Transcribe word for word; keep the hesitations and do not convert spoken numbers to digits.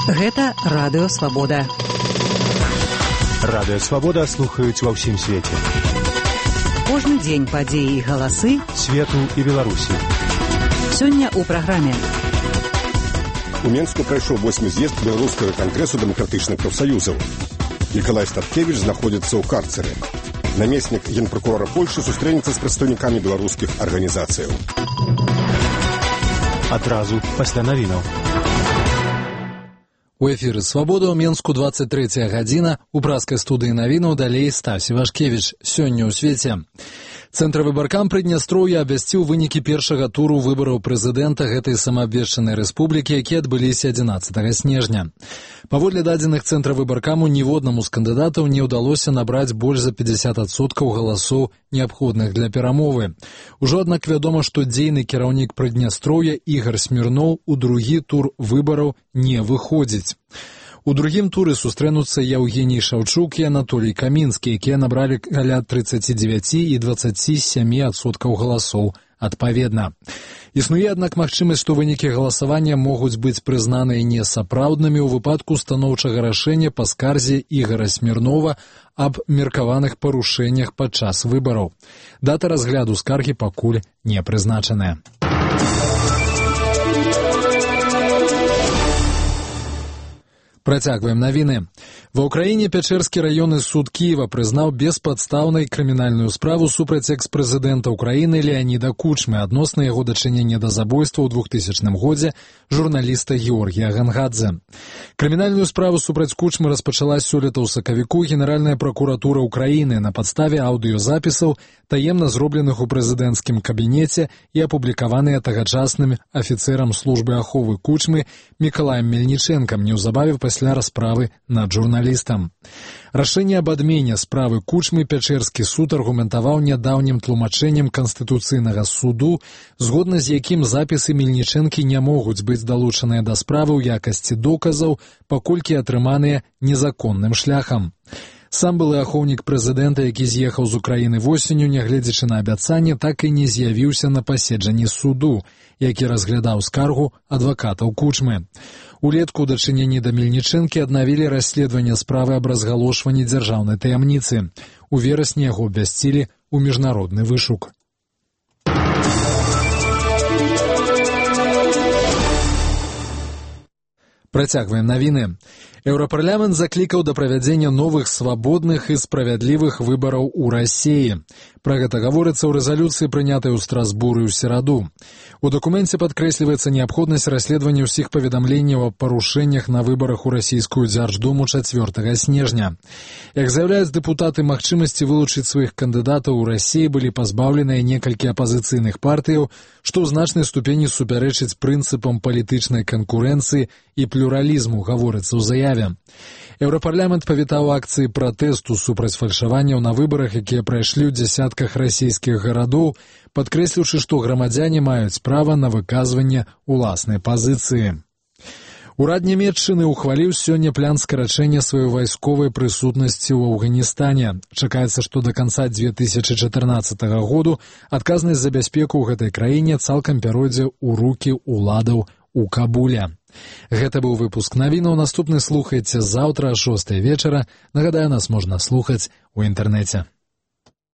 Гэта Радыё Свабода. Радыё Свабода слухаюць ва ўсім свеце. Кожны дзень падзеі і галасы свету і Беларусі. Сёння ў праграме. У Менску прайшоў восьмы з'езд Беларускага кангрэсу дэмакратычных прафсаюзаў. Мікалай Статкевіч знаходзіцца ў карцеры. Намеснік генпракурора Польшы сустрэнецца з прадстаўнікамі беларускіх арганізацыяў. Адразу пасля навінаў. У эфіры «Свабода» ў Менску двадцать третья гадзіна. У праскай студыі навінаў далей Стась Івашкевіч. Сёння ў свеце. Цэнтр выбаркам Прыднястроўя абвясціў вынікі першага туру выбараў прэзідэнта гэтай самаабвешчанай рэспублікі, якія адбыліся адзінаццатага снежня. Паводле дадзеных цэнтра выбаркаму ніводнаму з кандыдатаў не ўдалося набраць больш за пятьдесят адсоткаў галасоў, неабходных для перамовы. Ужо, аднак, вядома, што дзейны кіраўнік Прыднястроўя Ігар Смірноў у другі тур выбараў не выходзіць. У другім туры сустрэнуцца Яўгеній Шаўчук і Анатолій Камінскі, якія набралі каля тридцать девять і двадцать семь адсоткаў галасоў адпаведна. Існуе, аднак, магчымасць, што вынікі галасавання могуць быць прызнаныя несапраўднымі ў выпадку станоўчага рашэння па скарзе Ігара Смірнова аб меркаваных парушэннях падчас выбараў. Дата разгляду скаргі пакуль не прызначаная. Працягваем навіны. Ва ўкраіне Пячэрскі раённы суд Кіева прызнаў беспадстаўнай крымінальную справу супраць экс-прэзідэнта ўкраіны Леаніда Кучмы адносна яго дачынення да забойства ў двухтысячным годзе журналіста Георгія Гангадзе. Крымінальную справу супраць Кучмы распачала сёлета ў сакавіку Генеральная пракуратура ўкраіны на падставе аўдыёзапісаў, таемна зробленых у прэзідэнцкім кабінеце і апублікаваныя тагачасным афіцэрам службы аховы Кучмы Мікалаем Мельнічэнкам неўзабаве пасля расправы над журналістам. Рашэнне аб адмене справы Кучмы Пячэрскі суд аргументаваў нядаўнім тлумачэннем Канстытуцыйнага суду, згодна з якім запісы Мельнічэнкі не могуць быць далучаныя да справы ў якасці доказаў, паколькі атрыманыя незаконным шляхам. Сам былы ахоўнік прэзідэнта, які з'ехаў з Украіны восенню, нягледзячы на абяцанне, так і не з'явіўся на паседжанні суду, які разглядаў скаргу адвакатаў Кучмы. Улетку ў дачыненні да Мельнічэнкі аднавілі расследаванне справы аб разгалошванні дзяржаўнай таямніцы. У верасні яго абвясцілі ў міжнародны вышук. Працягваем навіны. Еўрапарламент заклікаў да правядзення новых свабодных і справядлівых выбараў у Расіі. Пра гэта гаворыцца ў рэзалюцыі, прынятай у Страсбуры ў сераду. У дакуменце падкрэсліваецца неабходнасць расследавання ўсіх паведамленняў аб парушэннях на выбарах у расійскую дзярждуму чацвёртага снежня. Як заяўляюць дэпутаты, магчымасці вылучыць сваіх кандыдатаў у Расіі былі пазбаўленыя некалькі апазіцыйных партыяў, што ў значнай ступені супярэчыць прынцыпам палітычнай канкурэнцыі і плюралізму, гаворыцца ў заяве. Еўрапарламент павітаў акцыі пратэсту супраць фальшаванняў на выбарах, якія прайшлі ў дзясятках расійскіх гарадоў, падкрэсліўшы, што грамадзяне маюць права на выказванне ўласнай пазіцыі. Урад Нямецчыны ухваліў сёння план скарачэння сваёй вайсковай прысутнасці ў Афганістане. Чакаецца, што да канца две тысячы чатырнаццатага году адказнасць за бяспеку ў гэтай краіне цалкам пяройдзе ў рукі ўладаў у Кабуле. Гэта быў выпуск навінаў. Наступны слухайце заўтра о шостай вечара. Нагадаю, нас можна слухаць у інтэрнэце.